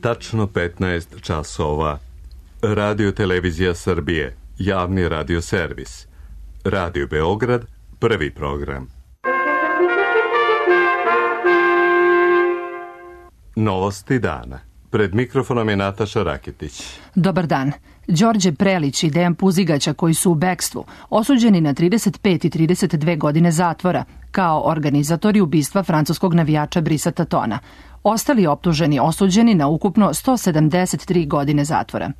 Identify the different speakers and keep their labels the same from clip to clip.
Speaker 1: tačno 15 časova. Radio Televizija Srbije, javni radio servis. Radio Beograd, prvi program. Novosti dana. Pred mikrofonom je Nataša Raketić.
Speaker 2: Dobar dan. Đorđe Prelić i Dejan Puzigaća, koji su u bekstvu, osuđeni na 35 i 32 godine zatvora, kao organizatori ubistva francuskog navijača Brisa Tatona. Ostali optuženi osuđeni na ukupno 173 godine zatvora.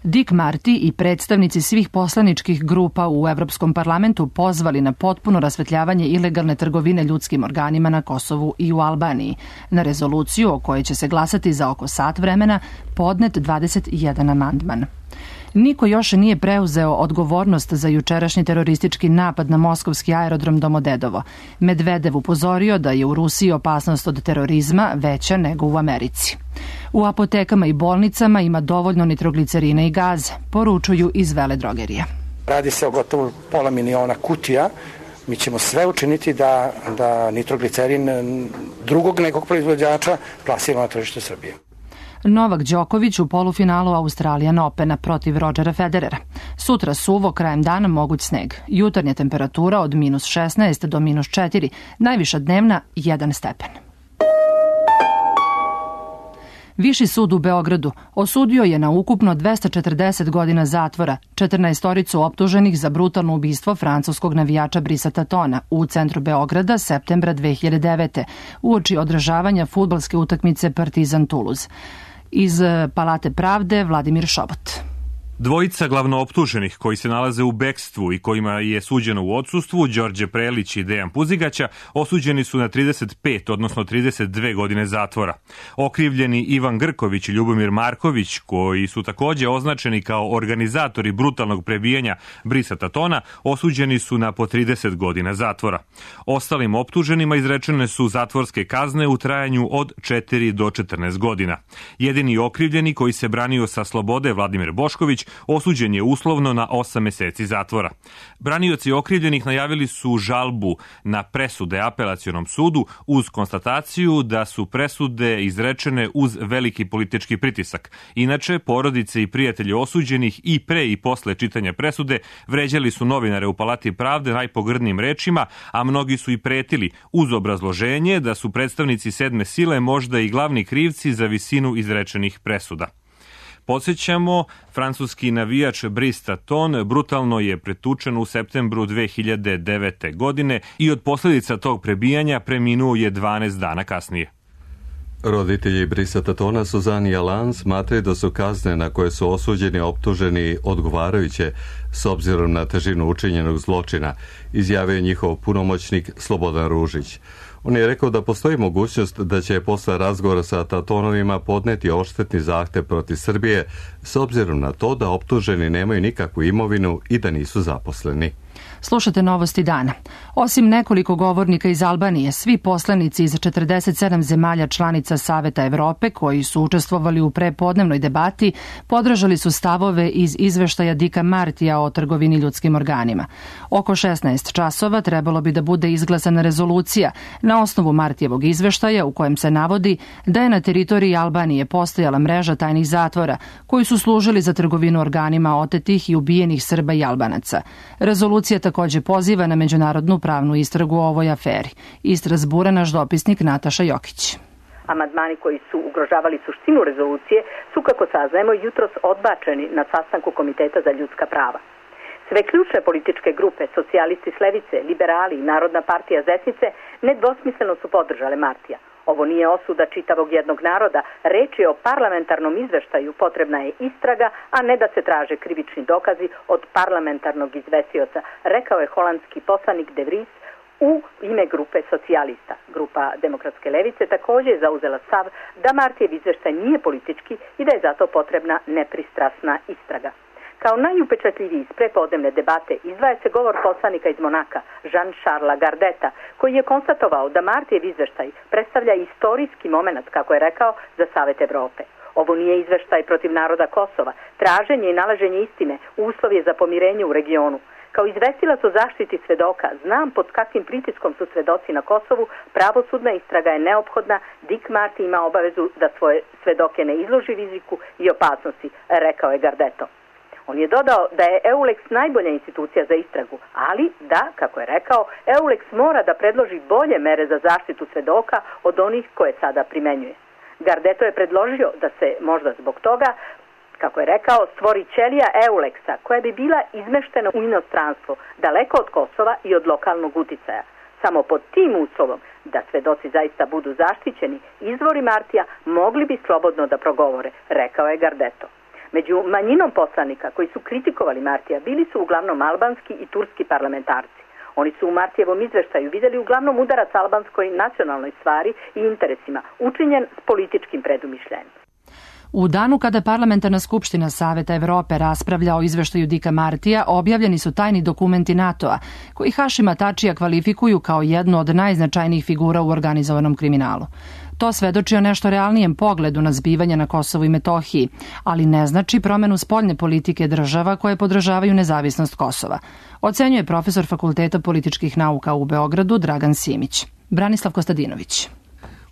Speaker 2: Dick Marty i predstavnici svih poslaničkih grupa u Evropskom parlamentu pozvali na potpuno rasvetljavanje ilegalne trgovine ljudskim organima na Kosovu i u Albaniji. Na rezoluciju o kojoj će se glasati za oko sat vremena podnet 21 amandman. Niko još nije preuzeo odgovornost za jučerašnji teroristički napad na moskovski aerodrom Domodedovo. Medvedev upozorio da je u Rusiji opasnost od terorizma veća nego u Americi. U apotekama i bolnicama ima dovoljno nitroglicerina i gaze, poručuju iz veledrogerija.
Speaker 3: Radi se o gotovo 500 miliona kutija. Mi ćemo sve učiniti da nitroglicerin drugog nekog proizvođača plasiramo na tržište Srbije.
Speaker 2: Novak Đoković u polufinalu Australian Opena protiv Rodgera Federera. Sutra suvo, krajem dana moguć sneg. Jutarnja temperatura od -16 do -4, najviša dnevna 1 stepen. Viši sud u Beogradu osudio je na ukupno 240 godina zatvora 14 optuženih za brutalno ubistvo francuskog navijača Brisa Tatona u centru Beograda septembra 2009. uoči održavanja fudbalske utakmice Partizan Toulouse. Iz Palate pravde Vladimir Šobot.
Speaker 4: Dvojica glavnooptuženih koji se nalaze u bekstvu i kojima je suđeno u odsustvu, Đorđe Prelić i Dejan Puzigaća, osuđeni su na 35, odnosno 32 godine zatvora. Okrivljeni Ivan Grković i Ljubomir Marković, koji su takođe označeni kao organizatori brutalnog prebijanja Brisa Tatona, osuđeni su na po 30 godina zatvora. Ostalim optuženima izrečene su zatvorske kazne u trajanju od 4 do 14 godina. Jedini okrivljeni koji se branio sa slobode, Vladimir Bošković, osuđen je uslovno na 8 meseci zatvora. Branioci okrivljenih najavili su žalbu na presude apelacionom sudu uz konstataciju da su presude izrečene uz veliki politički pritisak. Inače, porodice i prijatelji osuđenih i pre i posle čitanja presude vređali su novinare u Palati pravde najpogrdnijim rečima, a mnogi su i pretili uz obrazloženje da su predstavnici sedme sile možda i glavni krivci za visinu izrečenih presuda. Podsjećamo, francuski navijač Brice Taton brutalno je pretučen u septembru 2009. godine i od posljedica tog prebijanja preminuo je 12 dana kasnije.
Speaker 1: Roditelji Brisa Tatona, Suzanne i Alain, smatraju da su kazne na koje su osuđeni optuženi odgovarajuće s obzirom na težinu učinjenog zločina, izjavio njihov punomoćnik Slobodan Ružić. On je rekao da postoji mogućnost da će posle razgovora sa Tatonovima podneti odštetni zahtev protiv Srbije s obzirom na to da optuženi nemaju nikakvu imovinu i da nisu zaposleni.
Speaker 2: Slušate novosti dana. Osim nekoliko govornika iz Albanije, svi poslanici iz 47 zemalja članica Saveta Evrope koji su učestvovali u prepodnevnoj debati podržali su stavove iz izveštaja Dicka Martija o trgovini ljudskim organima. Oko 16 časova trebalo bi da bude izglasana rezolucija na osnovu Martijevog izveštaja u kojem se navodi da je na teritoriji Albanije postojala mreža tajnih zatvora koji su služili za trgovinu organima otetih i ubijenih Srba i Albanaca. Rezolucija takođe poziva na međunarodnu pravnu istragu o ovoj aferi. Iz Strazbura naš dopisnik Nataša Jokić.
Speaker 5: Amandmani koji su ugrožavali suštinu rezolucije su, kako saznajemo, jutros odbačeni na sastanku Komiteta za ljudska prava. Sve ključne političke grupe, socijalisti s levice, liberali i Narodna partija s desnice, nedvosmisleno su podržale Martija. Ovo nije osuda čitavog jednog naroda, reč je o parlamentarnom izveštaju, potrebna je istraga, a ne da se traže krivični dokazi od parlamentarnog izvesioca, rekao je holandski poslanik De Vries u ime grupe socijalista. Grupa Demokratske levice također je zauzela stav da Martijev izveštaj nije politički i da je zato potrebna nepristrasna istraga. Kao najupečatljiviji iz prepodnevne debate izdvaja se govor poslanika iz Monaka, Jean-Charlesa Gardeta, koji je konstatovao da Martijev izveštaj predstavlja istorijski moment, kako je rekao, za Savet Evrope. Ovo nije izveštaj protiv naroda Kosova. Traženje i nalaženje istine uslov je za pomirenje u regionu. Kao izvestilac o zaštiti svedoka, znam pod kakvim pritiskom su svedoci na Kosovu, pravosudna istraga je neophodna, Dick Marty ima obavezu da svoje svedoke ne izloži riziku i opasnosti, rekao je Gardetto. On je dodao da je EULEX najbolja institucija za istragu, ali da, kako je rekao, EULEX mora da predloži bolje mere za zaštitu svedoka od onih koje sada primenjuje. Gardetto je predložio da se možda zbog toga, kako je rekao, stvori ćelija EULEX-a koja bi bila izmeštena u inostranstvo, daleko od Kosova i od lokalnog uticaja. Samo pod tim uslovom da svedoci zaista budu zaštićeni, izvori Martija mogli bi slobodno da progovore, rekao je Gardetto. Među manjinom poslanika koji su kritikovali Martija bili su uglavnom albanski i turski parlamentarci. Oni su u Martijevom izveštaju vidjeli uglavnom udarac albanskoj nacionalnoj stvari i interesima, učinjen s političkim predumišljajem.
Speaker 2: U danu kada Parlamentarna skupština Saveta Evrope raspravlja o izveštaju Dicka Martija, objavljeni su tajni dokumenti NATO-a, koji Hašima Tačija kvalifikuju kao jednu od najznačajnijih figura u organizovanom kriminalu. To svedoči o nešto realnijem pogledu na zbivanja na Kosovu i Metohiji, ali ne znači promenu spoljne politike država koje podržavaju nezavisnost Kosova, ocenjuje profesor Fakulteta političkih nauka u Beogradu Dragan Simić. Branislav Kostadinović.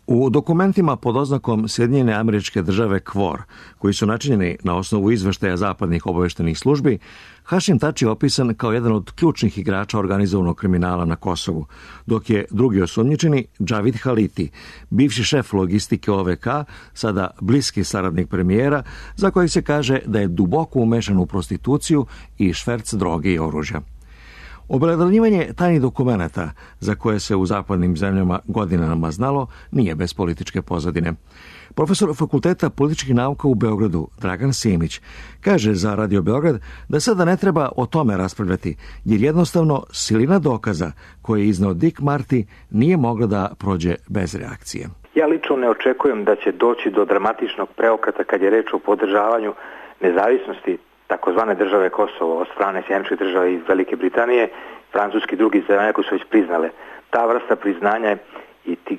Speaker 6: U dokumentima pod oznakom Sjedinjene Američke Države KFOR, koji su načinjeni na osnovu izveštaja zapadnih obaveštenih službi, Hašim Tači je opisan kao jedan od ključnih igrača organizovanog kriminala na Kosovu, dok je drugi osumnjičeni Džavid Haliti, bivši šef logistike OVK, sada bliski saradnik premijera, za kojeg se kaže da je duboko umešan u prostituciju i šverc droge i oružja. Obelodanjivanje tajnih dokumenata, za koje se u zapadnim zemljama godinama znalo, nije bez političke pozadine. Profesor Fakulteta političkih nauka u Beogradu, Dragan Simić, kaže za Radio Beograd da sada ne treba o tome raspravljati, jer jednostavno silina dokaza koje je izneo Dick Marty nije mogla da prođe bez reakcije.
Speaker 7: Ja lično ne očekujem da će doći do dramatičnog preokreta kad je reč o podržavanju nezavisnosti takozvane države Kosovo od strane Sjedinjenih Država i Velike Britanije, Francuski i drugi zemalja koji su već priznale. Ta vrsta priznanja i ti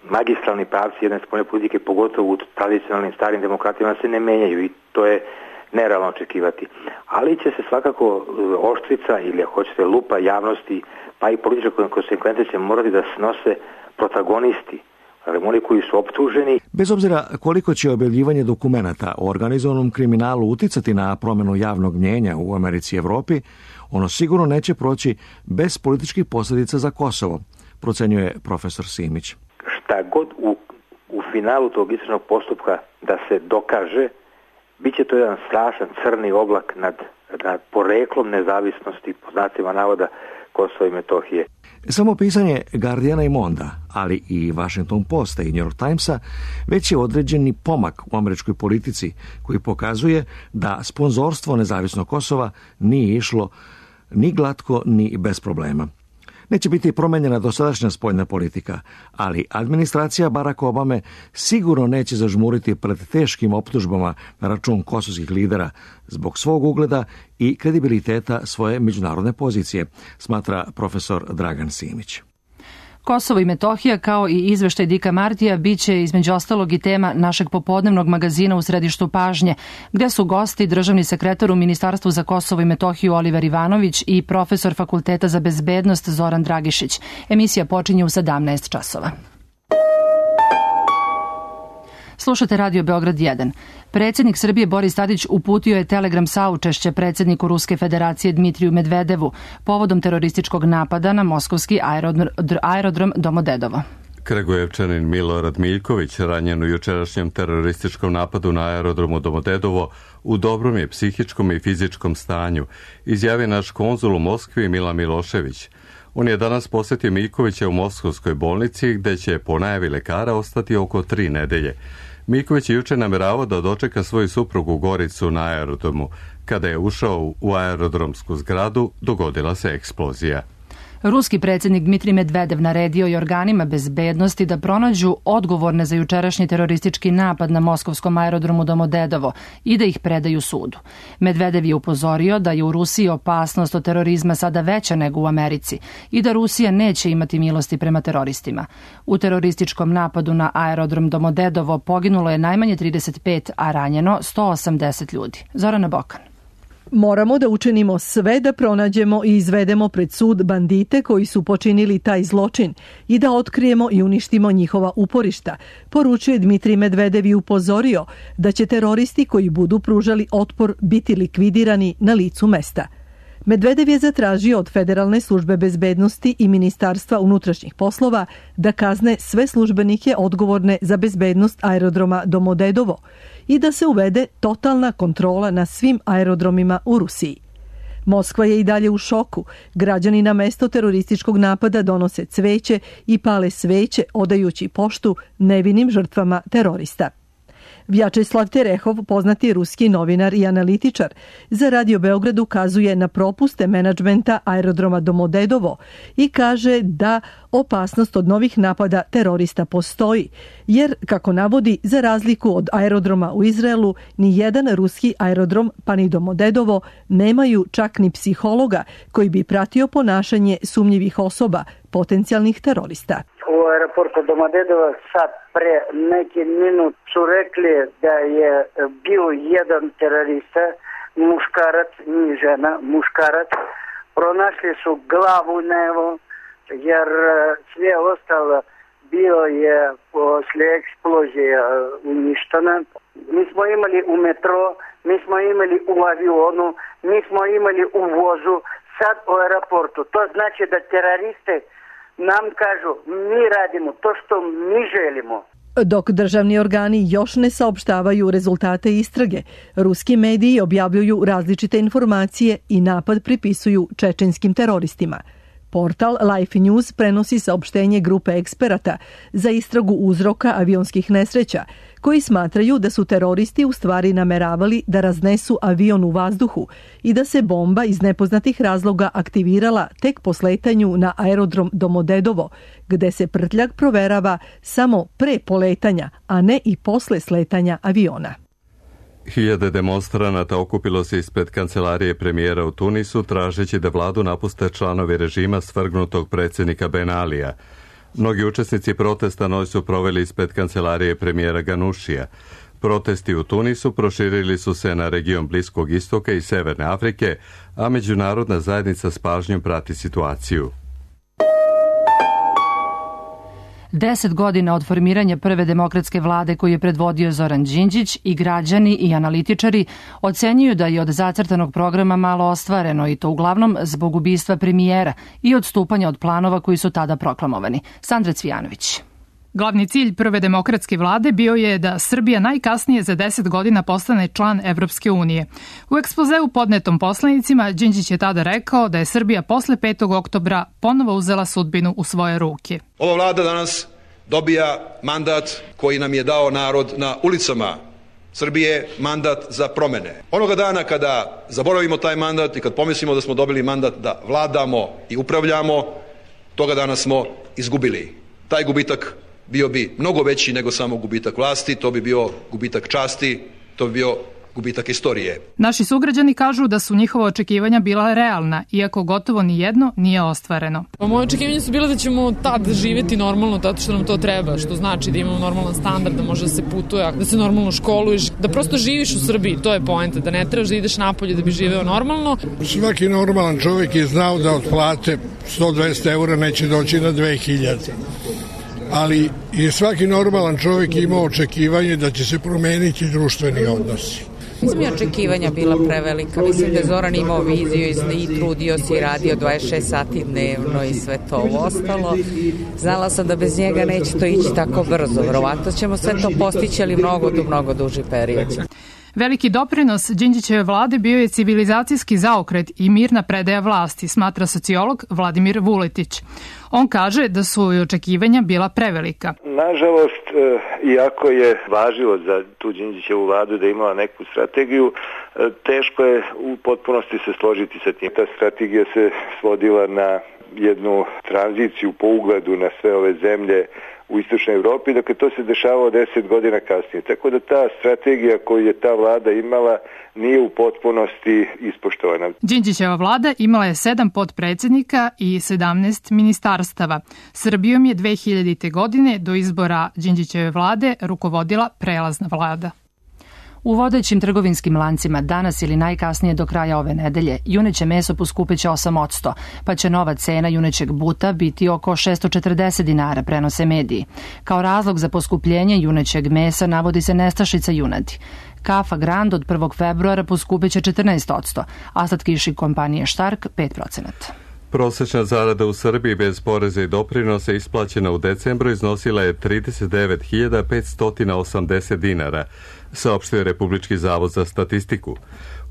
Speaker 7: magistralni pravci jedne spoljne politike, pogotovo u tradicionalnim starim demokratijama, se ne menjaju i to je nerealno očekivati. Ali će se svakako oštrica ili ako hoćete lupa javnosti, pa i političke konsekvence će morati da snose protagonisti, oni koji su optuženi.
Speaker 6: Bez obzira koliko će objavljivanje dokumenata o organizovanom kriminalu uticati na promjenu javnog mnjenja u Americi i Evropi, ono sigurno neće proći bez političkih posljedica za Kosovo, procenjuje profesor Simić.
Speaker 7: Šta god u finalu tog istražnog postupka da se dokaže, bit će to jedan strašan crni oblak nad poreklom nezavisnosti, po znacima navoda, Kosova i Metohije.
Speaker 6: Samo pisanje Guardiana i Monda, ali i Washington Posta i New York Timesa, već je određeni pomak u američkoj politici koji pokazuje da sponzorstvo nezavisnog Kosova nije išlo ni glatko ni bez problema. Neće biti promenjena dosadašnja spoljna politika, ali administracija Baracka Obame sigurno neće zažmuriti pred teškim optužbama na račun kosovskih lidera zbog svog ugleda i kredibiliteta svoje međunarodne pozicije, smatra profesor Dragan Simić.
Speaker 2: Kosovo i Metohija, kao i izveštaj Dicka Martija, bit će između ostalog i tema našeg popodnevnog magazina U središtu pažnje, gde su gosti državni sekretar u Ministarstvu za Kosovo i Metohiju Oliver Ivanović i profesor Fakulteta za bezbednost Zoran Dragišić. Emisija počinje u 17 časova. Slušate Radio Beograd 1. Predsjednik Srbije Boris Tadić uputio je telegram saučešće predsjedniku Ruske federacije Dmitriju Medvedevu povodom terorističkog napada na moskovski aerodrom Domodedovo.
Speaker 1: Kragujevčanin Milorad Miljković, ranjen u jučerašnjem terorističkom napadu na aerodromu Domodedovo, u dobrom je psihičkom i fizičkom stanju, izjavio naš konzul u Moskvi Milan Milošević. On je danas posjetio Miljkovića u Moskovskoj bolnici, gde će po najavi lekara ostati oko 3 nedelje. Miljković je juče nameravao da dočeka svoju suprugu Goricu na aerodromu. Kada je ušao u aerodromsku zgradu, dogodila se eksplozija.
Speaker 2: Ruski predsjednik Dmitrij Medvedev naredio je organima bezbednosti da pronađu odgovorne za jučerašnji teroristički napad na moskovskom aerodromu Domodedovo i da ih predaju sudu. Medvedev je upozorio da je u Rusiji opasnost od terorizma sada veća nego u Americi i da Rusija neće imati milosti prema teroristima. U terorističkom napadu na aerodrom Domodedovo poginulo je najmanje 35, a ranjeno 180 ljudi. Zorana Bokan.
Speaker 8: Moramo da učinimo sve da pronađemo i izvedemo pred sud bandite koji su počinili taj zločin i da otkrijemo i uništimo njihova uporišta, poručuje Dmitrij Medvedev i upozorio da će teroristi koji budu pružali otpor biti likvidirani na licu mesta. Medvedev je zatražio od Federalne službe bezbednosti i Ministarstva unutrašnjih poslova da kazne sve službenike odgovorne za bezbednost aerodroma Domodedovo i da se uvede totalna kontrola na svim aerodromima u Rusiji. Moskva je i dalje u šoku. Građani na mesto terorističkog napada donose cveće i pale sveće odajući poštu nevinim žrtvama terorista. Vjačeslav Terehov, poznati ruski novinar i analitičar, za Radio Beograd ukazuje na propuste menadžmenta aerodroma Domodedovo i kaže da opasnost od novih napada terorista postoji, jer, kako navodi, za razliku od aerodroma u Izraelu, ni jedan ruski aerodrom, pa ni Domodedovo, nemaju čak ni psihologa koji bi pratio ponašanje sumnjivih osoba, potencijalnih terorista.
Speaker 9: U aeroportu Domodedovo sad pre neki minut su rekli da je bio jedan terorista, muškarac, ni žena, muškarac. Pronašli su glavu nevo, jer sve ostalo bio je posle eksplozije uništeno. Mi smo imali u metro, mi smo imali u avionu, mi smo imali u vozu, sad u aeroportu. To znači da teroriste nam kažu, mi radimo to što mi želimo.
Speaker 8: Dok državni organi još ne saopštavaju rezultate istrage, ruski mediji objavljuju različite informacije i napad pripisuju čečenskim teroristima. Portal Life News prenosi saopštenje grupe eksperata za istragu uzroka avionskih nesreća, koji smatraju da su teroristi u stvari nameravali da raznesu avion u vazduhu i da se bomba iz nepoznatih razloga aktivirala tek po sletanju na aerodrom Domodedovo, gde se prtljag proverava samo pre poletanja, a ne i posle sletanja aviona.
Speaker 1: Hiljade demonstranata okupilo se ispred kancelarije premijera u Tunisu tražeći da vladu napuste članovi režima svrgnutog predsjednika Ben Alija. Mnogi učesnici protesta noć su proveli ispred kancelarije premijera Ganušija. Protesti u Tunisu proširili su se na region Bliskog istoka i Severne Afrike, a međunarodna zajednica s pažnjom prati situaciju.
Speaker 2: 10 godina od formiranja prve demokratske vlade koju je predvodio Zoran Đinđić i građani i analitičari ocenjuju da je od zacrtanog programa malo ostvareno i to uglavnom zbog ubistva premijera i odstupanja od planova koji su tada proklamovani. Sandra Cvijanović.
Speaker 10: Glavni cilj prve demokratske vlade bio je da Srbija najkasnije za 10 godina postane član Evropske unije. U ekspozeu podnetom poslanicima Đinđić je tada rekao da je Srbija posle 5. oktobra ponovo uzela sudbinu u svoje ruke.
Speaker 11: Ova vlada danas dobija mandat koji nam je dao narod na ulicama Srbije, mandat za promene. Onoga dana kada zaboravimo taj mandat i kad pomislimo da smo dobili mandat da vladamo i upravljamo, toga dana smo izgubili. Taj gubitak bio bi mnogo veći nego samo gubitak vlasti, to bi bio gubitak časti, to bi bio gubitak istorije.
Speaker 10: Naši sugrađani kažu da su njihova očekivanja bila realna, iako gotovo ni jedno nije ostvareno.
Speaker 12: Moje očekivanja su bile da ćemo tad živjeti normalno, zato što nam to treba, što znači da imamo normalan standard, da može da se putuje, da se normalno školuješ, da prosto živiš u Srbiji, to je poenta, da ne trebaš da ideš napolje da bi živeo normalno.
Speaker 13: Svaki normalan čovjek je znao da od plate 100-200 eura neće doći na 2000. Ali je svaki normalan čovjek imao očekivanje da će se promeniti društveni odnosi.
Speaker 14: Mislim je očekivanja bila prevelika. Mislim da je Zoran imao viziju i trudio se i radio 26 sati dnevno i sve to ostalo. Znala sam da bez njega neće to ići tako brzo. Verovatno ćemo sve to postići, ali mnogo duži period.
Speaker 10: Veliki doprinos Đinđićeve vlade bio je civilizacijski zaokret i mirna predaja vlasti, smatra sociolog Vladimir Vuletić. On kaže da su i očekivanja bila prevelika.
Speaker 15: Nažalost, iako je važilo za tu Đinđićevu vladu da imala neku strategiju, teško je u potpunosti se složiti sa tim. Ta strategija se svodila na jednu tranziciju po ugledu na sve ove zemlje u istočnoj Evropi, dakle to se dešavalo 10 godina kasnije. Tako da ta strategija koju je ta vlada imala nije u potpunosti ispoštovana.
Speaker 10: Đinđićeva vlada imala je 7 potpredsjednika i 17 ministarstava. Srbijom je 2000. godine do izbora Đinđićeve vlade rukovodila prelazna vlada.
Speaker 2: U vodećim trgovinskim lancima danas ili najkasnije do kraja ove nedelje juneće meso poskupeće 8%, pa će nova cena junećeg buta biti oko 640 dinara, prenose mediji. Kao razlog za poskupljenje junećeg mesa navodi se nestašica junadi. Kafa Grand od 1. februara poskupeće 14%, a slatkiši kompanije Štark 5%.
Speaker 1: Prosečna zarada u Srbiji bez poreza i doprinose isplaćena u decembru iznosila je 39.580 dinara, saopštio je Republički zavod za statistiku.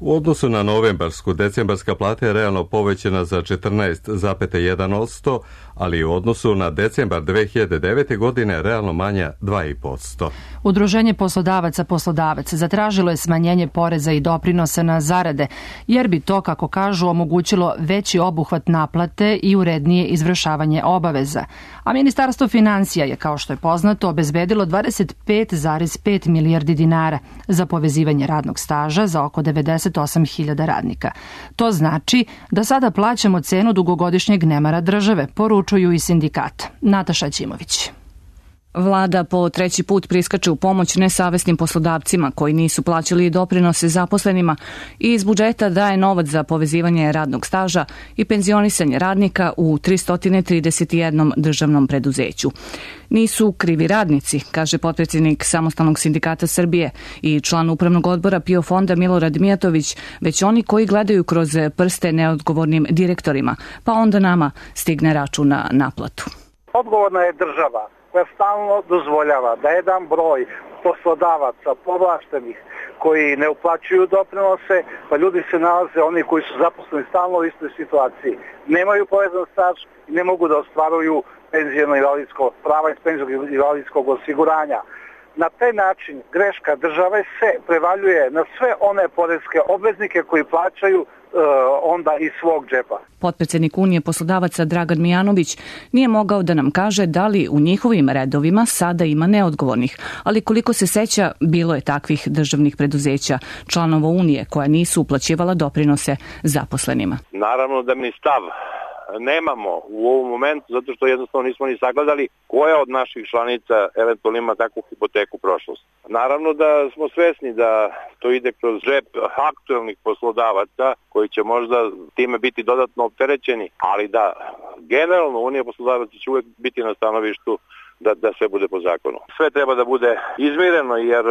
Speaker 1: U odnosu na novembarsku, decembarska plata je realno povećana za 14,1%, ali u odnosu na decembar 2009. godine realno manja 2,5%.
Speaker 2: Udruženje poslodavaca Poslodavac zatražilo je smanjenje poreza i doprinosa na zarade, jer bi to, kako kažu, omogućilo veći obuhvat naplate i urednije izvršavanje obaveza. A Ministarstvo finansija je, kao što je poznato, obezbedilo 25,5 milijardi dinara za povezivanje radnog staža za oko 98.000 radnika. To znači da sada plaćamo cenu dugogodišnjeg nemara države, poručuju i sindikata. Nataša Ćimović.
Speaker 16: Vlada po treći put priskače u pomoć nesavesnim poslodavcima koji nisu plaćali doprinose zaposlenima i iz budžeta daje novac za povezivanje radnog staža i penzionisanje radnika u 331 državnom preduzeću. Nisu krivi radnici, kaže potpredsjednik Samostalnog sindikata Srbije i član upravnog odbora PIO fonda Milorad Mijatović, već oni koji gledaju kroz prste neodgovornim direktorima, pa onda nama stigne račun na naplatu.
Speaker 17: Odgovorna je država koja stalno dozvoljava da jedan broj poslodavaca povlaštenih koji ne uplaćuju doprinose, pa ljudi se nalaze, oni koji su zaposleni stalno u istoj situaciji. Nemaju povezan staž i ne mogu da ostvaruju penzijno-invalidsko prava iz penzijno-invalidskog osiguranja. Na taj način greška države se prevaljuje na sve one poreske obveznike koji plaćaju onda iz svog džepa.
Speaker 16: Potpredsjednik Unije poslodavaca Dragan Mijanović nije mogao da nam kaže da li u njihovim redovima sada ima neodgovornih, ali koliko se seća, bilo je takvih državnih preduzeća, članova Unije koja nisu uplaćivala doprinose zaposlenima.
Speaker 18: Naravno da mi stav nemamo u ovom momentu, zato što jednostavno nismo ni sagledali koja od naših članica eventualno ima takvu hipoteku prošlost. Naravno da smo svesni da to ide kroz džep aktuelnih poslodavaca koji će možda time biti dodatno opterećeni, ali da generalno Unija poslodavaca će uvek biti na stanovištu da sve bude po zakonu. Sve treba da bude izmireno jer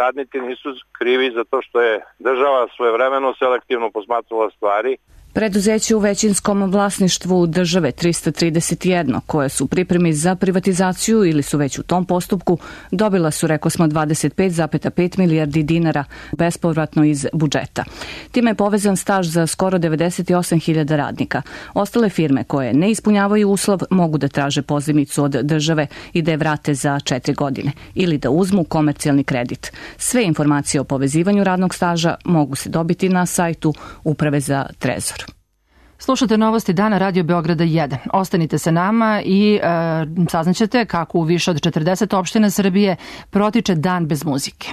Speaker 18: radnici nisu krivi za to što je država svojevremeno selektivno posmatrala stvari.
Speaker 16: Preduzeće u većinskom vlasništvu države 331, koje su u pripremi za privatizaciju ili su već u tom postupku, dobila su, rekao smo, 25,5 milijardi dinara bespovratno iz budžeta. Time je povezan staž za skoro 98.000 radnika. Ostale firme koje ne ispunjavaju uslov mogu da traže pozajmicu od države i da je vrate za 4 godine ili da uzmu komercijalni kredit. Sve informacije o povezivanju radnog staža mogu se dobiti na sajtu Uprave za Trezor.
Speaker 2: Slušate novosti dana Radio Beograda 1. Ostanite sa nama i saznaćete kako u više od 40 opština Srbije protiče dan bez muzike.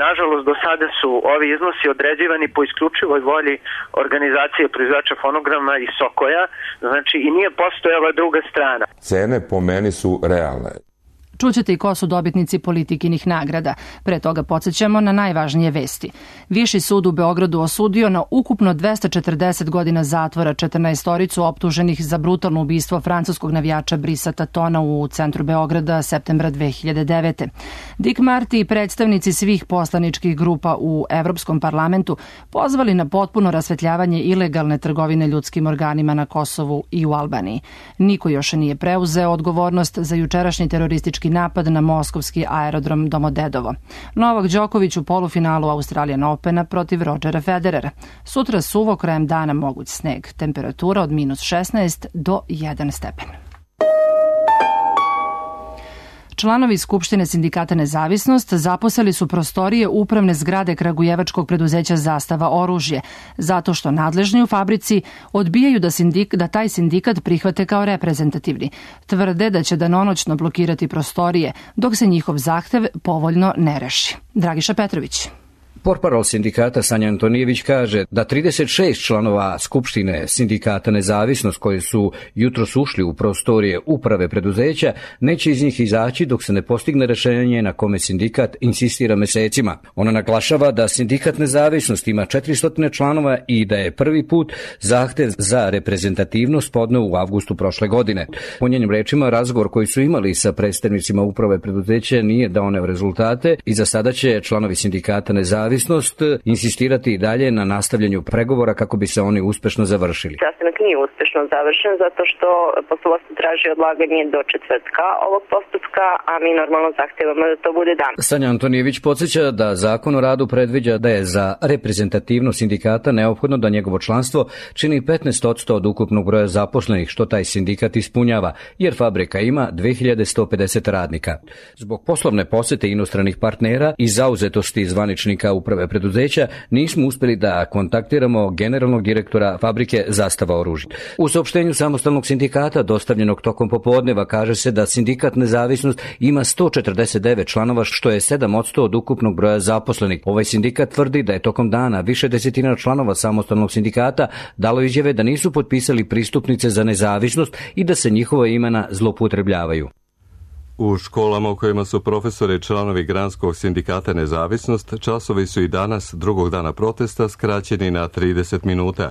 Speaker 19: Nažalost, do sada su ovi iznosi određivani po isključivoj volji organizacije proizvođača fonograma i Sokoja, znači i nije postojala druga strana.
Speaker 20: Cene po meni su realne.
Speaker 2: Čućete i ko su dobitnici Politikinih nagrada. Pre toga podsjećamo na najvažnije vesti. Viši sud u Beogradu osudio na ukupno 240 godina zatvora 14-oricu optuženih za brutalno ubistvo francuskog navijača Brisa Tatona u centru Beograda septembra 2009. Dick Marty i predstavnici svih poslaničkih grupa u Evropskom parlamentu pozvali na potpuno rasvetljavanje ilegalne trgovine ljudskim organima na Kosovu i u Albaniji. Niko još nije preuzeo odgovornost za jučerašnji teroristički napad na moskovski aerodrom Domodedovo. Novak Đoković u polufinalu Australian Opena protiv Rodgera Federera. Sutra suvo, krajem dana moguć sneg. Temperatura od -16 do 1 stepen. Članovi Skupštine sindikata Nezavisnost zaposeli su prostorije upravne zgrade kragujevačkog preduzeća Zastava oružje, zato što nadležni u fabrici odbijaju da taj sindikat prihvate kao reprezentativni. Tvrde da će danonoćno blokirati prostorije, dok se njihov zahtev povoljno ne reši. Dragiša Petrović.
Speaker 21: Portparol sindikata Sanja Antonijević kaže da 36 članova Skupštine sindikata Nezavisnost koji su jutros ušli u prostorije uprave preduzeća neće iz njih izaći dok se ne postigne rešenje na kome sindikat insistira mesecima. Ona naglašava da sindikat Nezavisnost ima 400 članova i da je prvi put zahtev za reprezentativnost podneo u avgustu prošle godine. Po njenim rečima, razgovor koji su imali sa predstavnicima uprave preduzeća nije dao rezultate i za sada će članovi sindikata Nezavisnost insistirati i dalje na nastavljanju pregovora kako bi se oni uspešno završili.
Speaker 22: Sastanak nije uspešno završen zato što poslovodstvo traži odlaganje do četvrtka ovog postupka, a mi normalno zahtevamo da to bude danas.
Speaker 21: Sanja Antonijević podsjeća da Zakon o radu predviđa da je za reprezentativnost sindikata neophodno da njegovo članstvo čini 15% od ukupnog broja zaposlenih, što taj sindikat ispunjava, jer fabrika ima 2150 radnika. Zbog poslovne posete inostranih partnera i zauzetosti zvaničnika uprave preduzeća nismo uspeli da kontaktiramo generalnog direktora fabrike Zastava oružja. U saopštenju samostalnog sindikata dostavljenog tokom popodneva kaže se da sindikat Nezavisnost ima 149 članova, što je 7% od ukupnog broja zaposlenih. Ovaj sindikat tvrdi da je tokom dana više desetina članova samostalnog sindikata dalo izjave da nisu potpisali pristupnice za nezavisnost i da se njihova imena zloupotrebljavaju.
Speaker 1: U školama u kojima su profesori članovi Granskog sindikata Nezavisnost, časovi su i danas, drugog dana protesta, skraćeni na 30 minuta.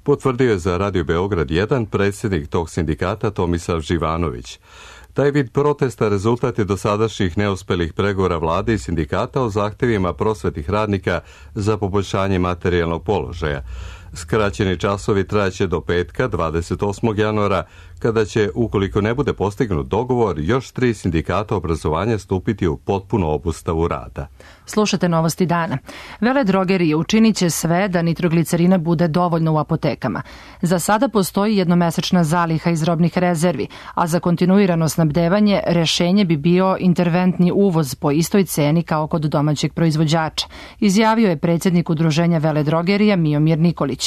Speaker 1: Potvrdio je za Radio Beograd 1 predsjednik tog sindikata Tomislav Živanović. Taj vid protesta rezultat je dosadašnjih neuspelih pregovora vlade i sindikata o zahtevima prosvetnih radnika za poboljšanje materijalnog položaja. Skraćeni časovi trajaće do petka 28. januara, kada će, ukoliko ne bude postignut dogovor, još 3 sindikata obrazovanja stupiti u potpunu obustavu rada.
Speaker 2: Slušate novosti dana. Veledrogerije učinit će sve da nitroglicerina bude dovoljno u apotekama. Za sada postoji jednomesečna zaliha iz robnih rezervi, a za kontinuirano snabdevanje rešenje bi bio interventni uvoz po istoj ceni kao kod domaćeg proizvođača, izjavio je predsjednik Udruženja veledrogerija Miomir Nikolić.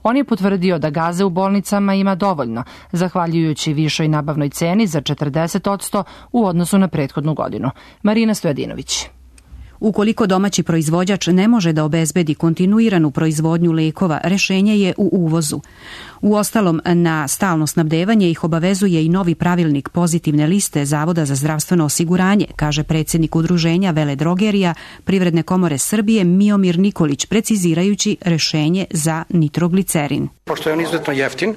Speaker 2: On je potvrdio da gaze u bolnicama ima dovoljno, zahvaljujući višoj nabavnoj ceni za 40% u odnosu na prethodnu godinu. Marina Stojadinović.
Speaker 23: Ukoliko domaći proizvođač ne može da obezbedi kontinuiranu proizvodnju lekova, rešenje je u uvozu. Uostalom, na stalno snabdevanje ih obavezuje i novi pravilnik pozitivne liste Zavoda za zdravstveno osiguranje, kaže predsjednik Udruženja veledrogerija Privredne komore Srbije Miomir Nikolić, precizirajući rešenje za nitroglicerin.
Speaker 3: Pošto je on izuzetno jeftin,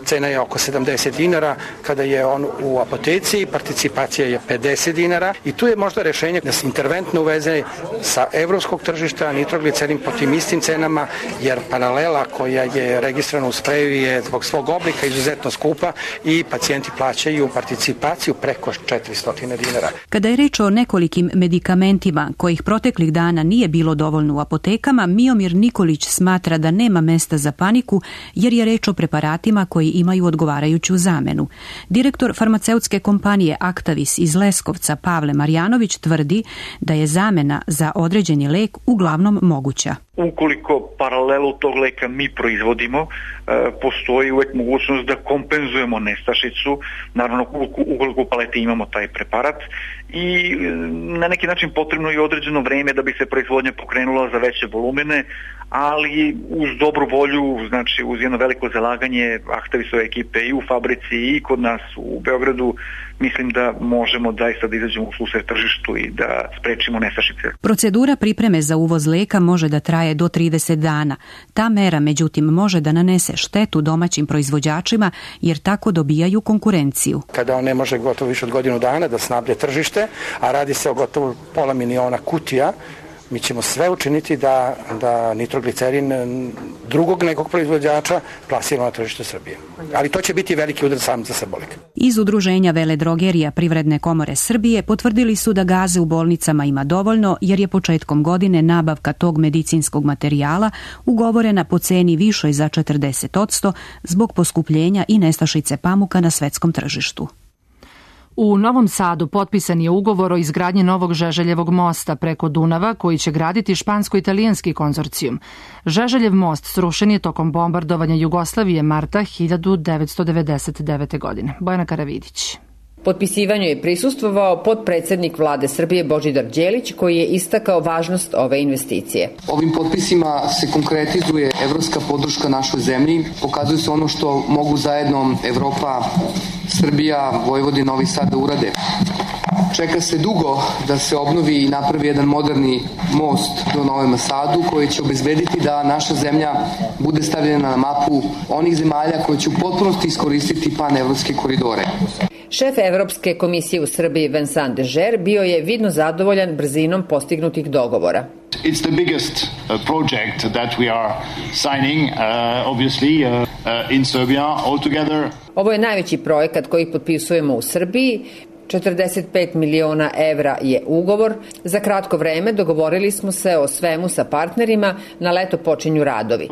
Speaker 3: cena je oko 70 dinara, kada je on u apoteci, participacija je 50 dinara i tu je možda rešenje da se interventno uveze sa evropskog tržišta nitroglicerin po tim istim cenama, jer paralela koja je registrovana u spreju je zbog svog oblika izuzetno skupa i pacijenti plaćaju participaciju preko 400 dinara.
Speaker 23: Kada je reč o nekolikim medikamentima kojih proteklih dana nije bilo dovoljno u apotekama, Miomir Nikolić smatra da nema mesta za paniku jer je reč o preparatima koji imaju odgovarajuću zamenu. Direktor farmaceutske kompanije Actavis iz Leskovca Pavle Marjanović tvrdi da je zamena za određeni lek uglavnom moguća.
Speaker 24: Ukoliko paralelu tog leka mi proizvodimo, postoji uvek mogućnost da kompenzujemo nestašicu, naravno ukoliko u paleti imamo taj preparat i na neki način potrebno je određeno vreme da bi se proizvodnja pokrenula za veće volumene, ali uz dobru volju, znači uz jedno veliko zalaganje Actavisove ekipe i u fabrici i kod nas u Beogradu, mislim da možemo zaista da izađemo u susret tržištu i da sprečimo nestašice.
Speaker 23: Procedura pripreme za uvoz leka može da traje do 30 dana. Ta mera, međutim, može da nanese štetu domaćim proizvođačima jer tako dobijaju konkurenciju.
Speaker 3: Kada on ne može gotovo više od godinu dana da snabde tržište, a radi se o gotovo 500.000 kutija, mi ćemo sve učiniti da nitroglicerin drugog nekog proizvođača plasiramo na tržište Srbije. Ali to će biti veliki udar sam za Srbolik.
Speaker 23: Iz Udruženja veledrogerija Privredne komore Srbije potvrdili su da gaze u bolnicama ima dovoljno jer je početkom godine nabavka tog medicinskog materijala ugovorena po ceni višoj za 40% zbog poskupljenja i nestašice pamuka na svetskom tržištu.
Speaker 2: U Novom Sadu potpisan je ugovor o izgradnji novog Žeželjevog mosta preko Dunava koji će graditi špansko-italijanski konzorcijum. Žeželjev most srušen je tokom bombardovanja Jugoslavije marta 1999. godine. Bojana Karavidić.
Speaker 4: Potpisivanju je prisustvovao potpredsednik vlade Srbije Božidar Đelić, koji je istakao važnost ove investicije.
Speaker 5: Ovim potpisima se konkretizuje evropska podrška našoj zemlji, pokazuje se ono što mogu zajedno Evropa, Srbija, Vojvodina, Novi Sad da urade. Čeka se dugo da se obnovi i napravi jedan moderni most do Novom Sadu koji će obezbediti da naša zemlja bude stavljena na mapu onih zemalja koje će u potpunosti iskoristiti panevropske koridore.
Speaker 4: Šef Evropske komisije u Srbiji Vincent Dežer bio je vidno zadovoljan brzinom postignutih dogovora.
Speaker 6: It's the biggest project that we are signing, obviously, in Serbia altogether.
Speaker 4: Ovo je najveći projekat koji potpisujemo u Srbiji. 45 miliona evra je ugovor. Za kratko vreme dogovorili smo se o svemu sa partnerima, na leto počinju radovi.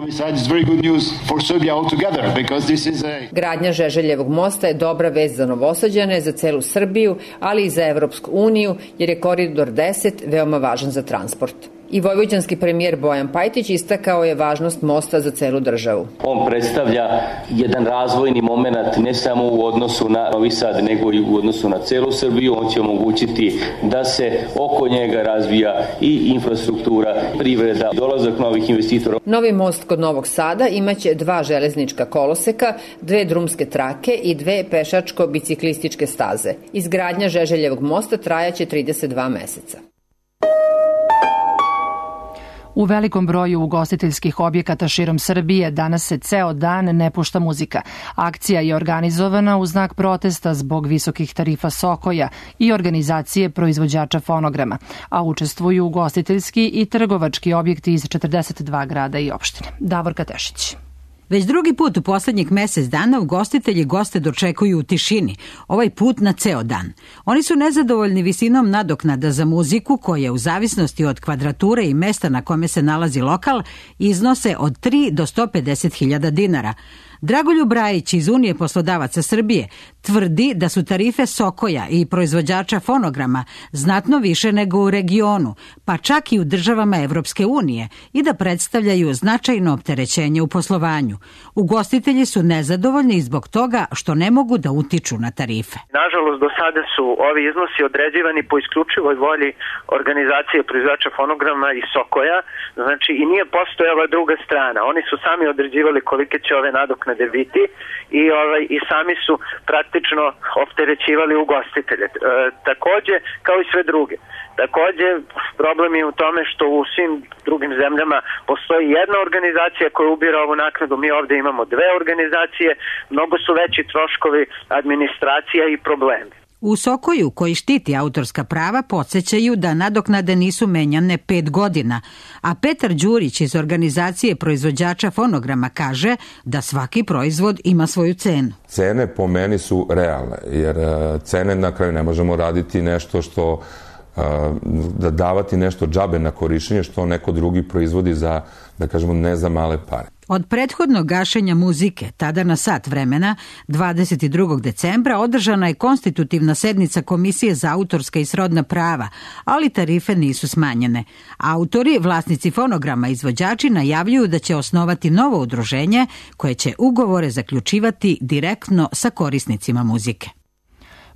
Speaker 4: Gradnja Žeželjevog mosta je dobra vest za Novosađane, za celu Srbiju, ali i za Evropsku uniju, jer je koridor 10 veoma važan za transport. I vojvođanski premijer Bojan Pajtić istakao je važnost mosta za celu državu.
Speaker 7: On predstavlja jedan razvojni moment ne samo u odnosu na Novi Sad, nego i u odnosu na celu Srbiju. On će omogućiti da se oko njega razvija i infrastruktura, privreda, dolazak novih investitora.
Speaker 4: Novi most kod Novog Sada imaće 2 železnička koloseka, 2 drumske trake i 2 pešačko-biciklističke staze. Izgradnja Žeželjevog mosta trajaće 32 meseca.
Speaker 2: U velikom broju ugostiteljskih objekata širom Srbije danas se ceo dan ne pušta muzika. Akcija je organizovana u znak protesta zbog visokih tarifa Sokoja i organizacije proizvođača fonograma, a učestvuju ugostiteljski i trgovački objekti iz 42 grada i opštine. Davorka Tešić.
Speaker 25: Već drugi put u poslednjih mesec dana ugostitelji goste dočekuju u tišini, ovaj put na ceo dan. Oni su nezadovoljni visinom nadoknada za muziku koje u zavisnosti od kvadrature i mesta na kome se nalazi lokal iznose od 3 do 150.000 dinara. Dragoljub Brajić iz Unije poslodavaca Srbije tvrdi da su tarife Sokoja i proizvođača fonograma znatno više nego u regionu, pa čak i u državama Evropske unije i da predstavljaju značajno opterećenje u poslovanju. Ugostitelji su nezadovoljni zbog toga što ne mogu da utiču na tarife.
Speaker 19: Nažalost, do sada su ovi iznosi određivani po isključivoj volji organizacije proizvođača fonograma i Sokoja, znači i nije postojala druga strana. Oni su sami određivali kolike će ove nadoknade biti i sami su praktično opterećivali ugostitelje. Takođe, kao i sve druge. Takođe, problem je u tome što u svim drugim zemljama postoji jedna organizacija koja ubira ovu naknadu, mi ovde imamo 2 organizacije, mnogo su veći troškovi, administracija i problemi.
Speaker 25: U Sokoju, koji štiti autorska prava, podsjećaju da nadoknade nisu menjane 5 godina, a Petar Đurić iz organizacije proizvođača fonograma kaže da svaki proizvod ima svoju cenu.
Speaker 20: Cene po meni su realne, jer cene na kraju ne možemo raditi nešto što da davati nešto džabe na korišćenje što neko drugi proizvodi za, da kažemo, ne za male pare.
Speaker 25: Od prethodnog gašenja muzike, tada na sat vremena, 22. decembra, održana je konstitutivna sednica Komisije za autorska i srodna prava, ali tarife nisu smanjene. Autori, vlasnici fonograma i izvođači najavljuju da će osnovati novo udruženje koje će ugovore zaključivati direktno sa korisnicima muzike.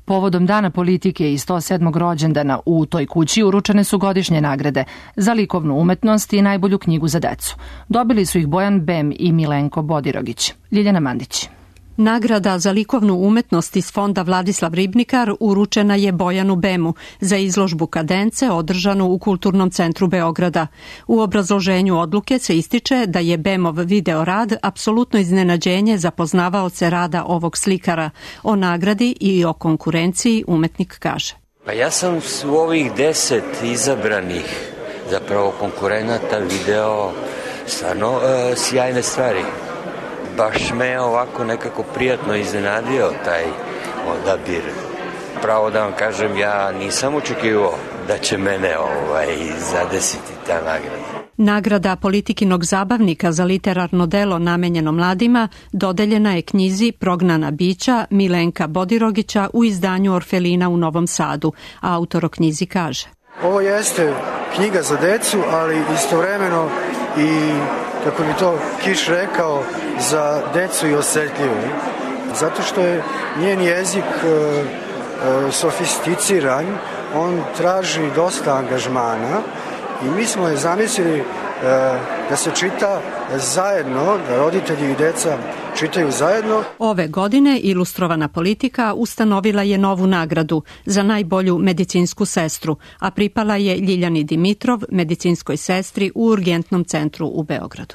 Speaker 2: Povodom Dana politike i 107. rođendana u toj kući uručene su godišnje nagrade za likovnu umetnost i najbolju knjigu za decu. Dobili su ih Bojan Bem i Milenko Bodirogić. Ljiljana Mandić.
Speaker 26: Nagrada za likovnu umetnost iz fonda Vladislav Ribnikar uručena je Bojanu Bemu za izložbu Kadence održanu u Kulturnom centru Beograda. U obrazloženju odluke se ističe da je Bemov video rad apsolutno iznenađenje za poznavaoce rada ovog slikara. O nagradi i o konkurenciji umetnik kaže.
Speaker 27: Pa ja sam u ovih 10 izabranih zapravo konkurenata video stvarno sjajne stvari. Baš me ovako nekako prijatno iznenadio taj odabir. Pravo da vam kažem, ja nisam očekivao da će mene zadesiti ta nagrada.
Speaker 26: Nagrada Politikinog zabavnika za literarno delo namenjeno mladima dodeljena je knjizi Prognana bića Milenka Bodirogića u izdanju Orfelina u Novom Sadu. Autor o knjizi kaže.
Speaker 28: Ovo jeste knjiga za decu, ali istovremeno i, kako bi to Kiš rekao, za decu i osetljivu. Zato što je njen jezik sofisticiran, on traži dosta angažmana i mi smo je zamislili da se čita zajedno, da roditelji i deca čitaju zajedno.
Speaker 26: Ove godine Ilustrovana politika ustanovila je novu nagradu za najbolju medicinsku sestru, a pripala je Ljiljani Dimitrov, medicinskoj sestri u Urgentnom centru u Beogradu.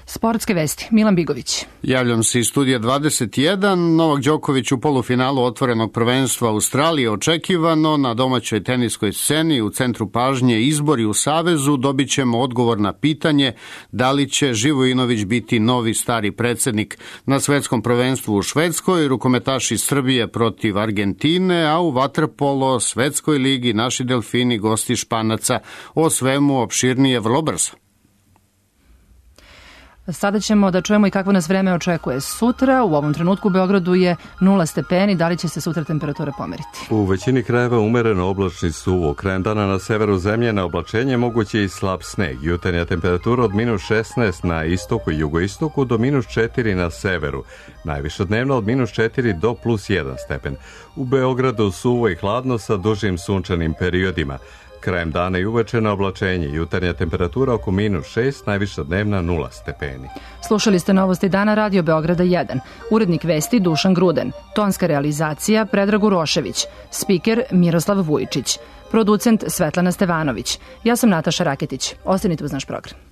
Speaker 2: Sportske vesti, Milan Bigović.
Speaker 8: Javljam se iz studija 21. Novak Đoković u polufinalu otvorenog prvenstva Australije očekivano. Na domaćoj teniskoj sceni u centru pažnje izbori u Savezu dobit ćemo odgovor na pitanje da li će Živojinović biti novi stari predsednik. Na svetskom prvenstvu u Švedskoj rukometaši Srbije protiv Argentine, a u vaterpolo svetskoj ligi naši delfini gosti Španaca. O svemu opširnije vrlo brzo.
Speaker 2: Sada ćemo da čujemo i kakvo nas vreme očekuje sutra. U ovom trenutku u Beogradu je 0 stepeni. Da li će se sutra temperatura pomeriti?
Speaker 1: U većini krajeva umereno oblačni suvo. Krajem dana na severu zemlje na oblačenje moguće i slab sneg. Jutarnja temperatura od -16 na istoku i jugoistoku do -4 na severu. Najviše dnevno od -4 do +1 stepen. U Beogradu suvo i hladno sa dužim sunčanim periodima. Krajem dana i uveče na oblačenje, jutarnja temperatura oko -6, najviša dnevna 0 stepeni.
Speaker 2: Slušali ste novosti dana Radio Beograda 1. Urednik vesti Dušan Gruden. Tonska realizacija Predrag Urošević. Spiker Miroslav Vujičić. Producent Svetlana Stevanović. Ja sam Nataša Raketić. Ostanite uz naš program.